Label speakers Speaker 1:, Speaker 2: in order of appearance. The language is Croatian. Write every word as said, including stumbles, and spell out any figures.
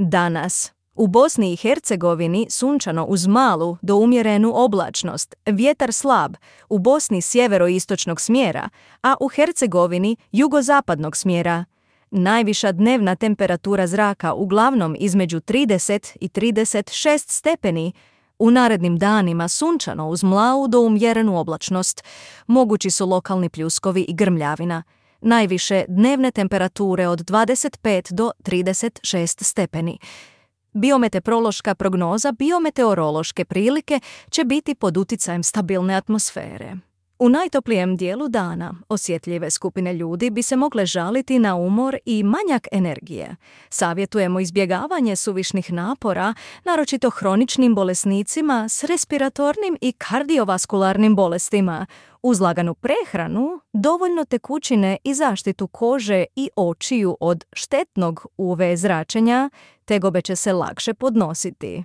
Speaker 1: Danas u Bosni i Hercegovini sunčano uz malu do umjerenu oblačnost, vjetar slab, u Bosni sjeveroistočnog smjera, a u Hercegovini jugozapadnog smjera. Najviša dnevna temperatura zraka uglavnom između trideset i trideset šest stepeni, u narednim danima sunčano uz mlavu do umjerenu oblačnost, mogući su lokalni pljuskovi i grmljavina. Najviše dnevne temperature od dvadeset pet do trideset šest stepeni. Biometeorološka prognoza biometeorološke prilike će biti pod utjecajem stabilne atmosfere. U najtoplijem dijelu dana osjetljive skupine ljudi bi se mogle žaliti na umor i manjak energije. Savjetujemo izbjegavanje suvišnih napora, naročito hroničnim bolesnicima s respiratornim i kardiovaskularnim bolestima, uz laganu prehranu, dovoljno tekućine i zaštitu kože i očiju od štetnog U V zračenja, tegobe će se lakše podnositi.